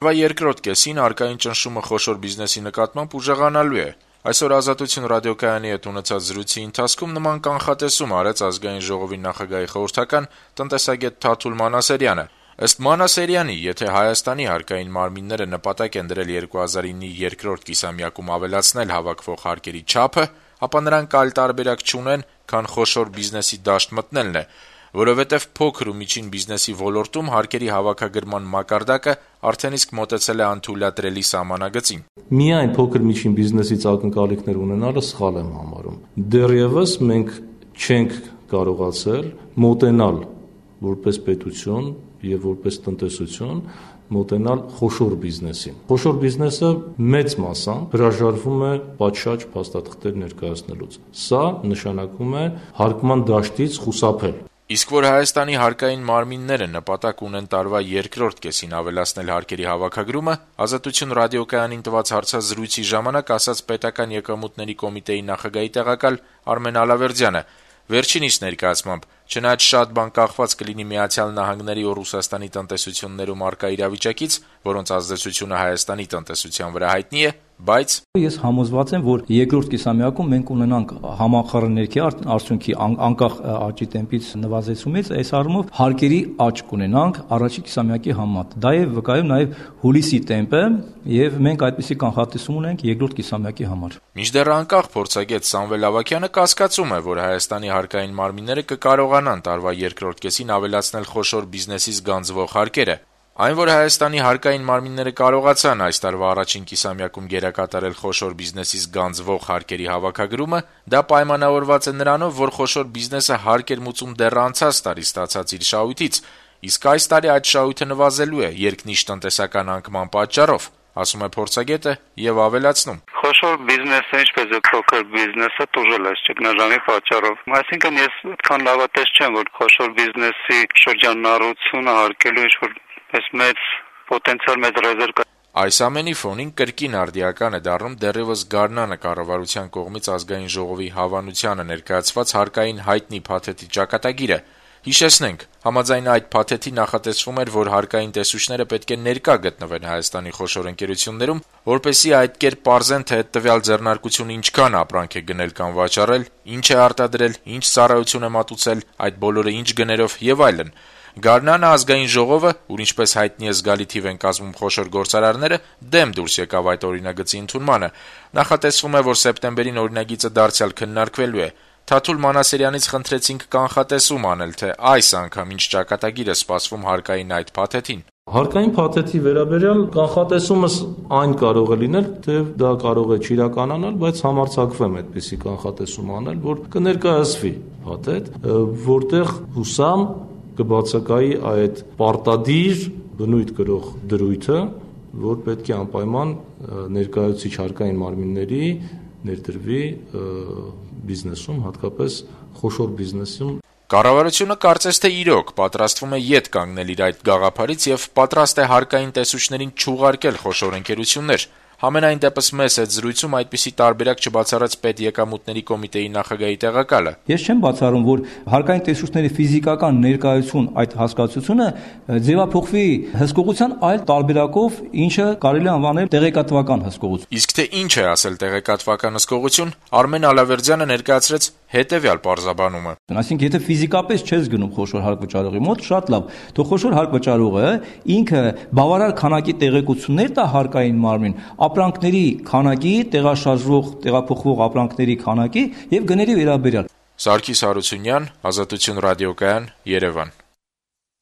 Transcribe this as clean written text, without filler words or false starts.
Երկրորդ կեսին արկային ճնշումը խոշոր բիզնեսի նկատմամբ ուժեղանալու է։ Այսօր Ազատություն ռադիոկայանի հետ ունեցած զրույցի ընթացքում նման կանխատեսում արեց Ազգային ժողովի նախագահի խորհրդական տնտեսագետ Թաթուլ Մանասերյանը։ Ըստ Մանասերյանի, եթե Հայաստանի հարկային մարմինները նպատակ են դրել 2009-ի երկրորդ կիսամյակում ավելացնել հավաքվող հարկերի չափը, ապա նրանք այլ տարբերակ չունեն, քան խոշոր բիզնեսի դաշտ մտնելն է, որովհետև փոքր ու միջին բիզնեսի ոլորտում հարկերի հավաքագրման մակարդակը արդեն իսկ մոտեցել է անթույլատրելի սահմանագծին։ Միայն փոքր միջին բիզնեսից ակնկալիքներ ունենալը սխալ եմ համարում։ Դեռևս մենք չենք կարողացել մոտենալ որպես պետություն եւ որպես տնտեսություն մոտենալ խոշոր բիզնեսին։ Խոշոր բիզնեսը մեծ մասամբ հրաժարվում է պատշաճ փաստաթղթեր ներկայացնելուց։ Սա նշանակում է հարկման դաշտից խուսափել։ Իսկ որ Հայաստանի հարկային մարմինները նպատակ ունեն տարվա երկրորդ կեսին ավելացնել հարկերի հավաքագրումը, Ազատություն ռադիոկայանին տված հարցազրույցի ժամանակ ասաց Պետական եկամուտների կոմիտեի նախագահի տեղակալ Արմեն Ալավերդյանը։ Վերջինիս ներկայացմամբ, չնայած շատ բան կախված կլինի Միացյալ Նահանգների ու Ռուսաստանի տնտեսություններում առկա իրավիճակից, որոնց ազդեցությունը Հայաստանի տնտեսության վրա հայտնի է, բայց ես համոզված եմ, որ երկրորդ կիսամյակում մենք ունենանք համախառն ներքի արդյունքի անկախ աճի տեմպից նվազեցումից, այս առումով հարկերի աճ կունենանք առաջին կիսամյակի համեմատ։ Դա է վկայում նաև հուլիսի տեմպը, եւ մենք այդպիսի կանխատեսում ունենք երկրորդ կիսամյակի համար։ Մինչդեռ անկախ փորձագետ Սամվել Ավագյանը կասկածում է, որ Հայաստանի հարկային մարմինները կկարողանան տարվա երկրորդ կեսին ավելացնել խոշոր բիզնեսից գանձվող հարկերը։ Այն, որ Հայաստանի հարկային մարմինները կարողացան այս տարվա առաջին կիսամյակում գերակատարել խոշոր բիզնեսից գանձվող հարկերի հավաքագրումը, դա պայմանավորված է նրանով, որ խոշոր բիզնեսը հարկ էր մուծում դեռ անցած տարի ստացած իր շահույթից, իսկ այս տարի այդ շահույթը նվազելու է երկնիշ տնտեսական անկման պատճառով, ասում է փորձագետը եւ ավելացնում. Խոշոր բիզնեսը, ինչպես է փոքր բիզնեսը, տուժել է ճգնաժամի պատճառով։ Այսինքն ես այդքան լավատես չեմ, որ խոշոր բիզնեսի շրջանառությունը հարկելու ինչ-որ մեծ պոտենցիալ, մեծ ռեզերվ կա։ Այս ամենի ֆոնին կրկին արդիական է դառնում դեռևս Գարնանը կառավարության կողմից Ազգային ժողովի հավանությանը ներկայացված հարկային հայտնի փաթեթի ճակատագիրը։ Հիշեցնենք, համաձայն այդ փաթեթի նախատեսվում էր, որ հարկային տեսուչները պետք է ներկա գտնվեն Հայաստանի խոշոր ընկերություններում, որպեսզի այդ կերպ պարզեն, թե հետևյալ ձեռնարկությունը ինչքան ապրանք է գնել կամ վաճառել, ինչ է արտադրել, ինչ ծառայություն է մատուցել, այդ բոլորը ինչ գներով եւ այլն։ Գարնանը Ազգային ժողովը, ուր ինչպես հայտնի է զգալի թիվ են կազմում խոշոր գործարարները, դեմ դուրս եկավ այդ օրինագծի ընդունմանը։ Նախատեսվում է, որ սեպտեմբերին օրինագիծը դարձյալ քննարկվելու է։ Թաթուլ Մանասերյանից խնդրեցինք կանխատեսում անել, թե այս անգամ ինչ ճակատագիր է սպասվում հարկային այդ փաթեթին։ Հարկային փաթեթի վերաբերյալ կանխատեսումս այն կարող է լինել, թե դա կարող է չիրականանալ, բայց համարձակվեմ այդպիսի կանխատեսում անել, որ կներկայացվի փաթեթ, որտեղ հուսամ կբացակայի այդ պարտադիր բնույթ կրող դրույթը, որ պետք է անպայման ներկայացուցիչ հարկային մարմինների ներդրվի բիզնեսում, հատկապես խոշոր բիզնեսում։ Կառավարությունը կարծես թե իրոք պատրաստվում է ետ կանգնել իր այդ գաղափարից եւ պատրաստ է հարկային տեսուչներին չուղարկել խոշոր ընկերություններ։ Համենայն դեպս մեզ այդ զրույցում այդպիսի տարբերակ չբացառեց Պետեկամուտների կոմիտեի նախագահի տեղակալը։ Ես չեմ բացառում, որ հարկային տեսուչների ֆիզիկական ներկայություն այդ հասկացությունը ձևափոխվի հսկողության այլ տարբերակով, ինչը կարելի է անվանել տեղեկատվական հսկողություն։ Իսկ թե ինչ է ասել տեղեկատվական հսկողություն, Արմեն Ալավերդյանը ներկայացրեց հետևյալ պարզաբանումը։ Այսինքն, եթե ֆիզիկապես չես գնում խոշոր հարկ վճարողի մոտ, շատ լավ, թող խոշոր հարկ վճարողը ինքը բավարար քանակի տեղեկություններ տա հարկային մարմին, ապրանքների քանակի, տեղաշարժվող, տեղափոխվող ապրանքների քանակի եւ գների վերաբերյալ։ Սարգիս Հարությունյան, Ազատություն ռադիոկայան, Երևան։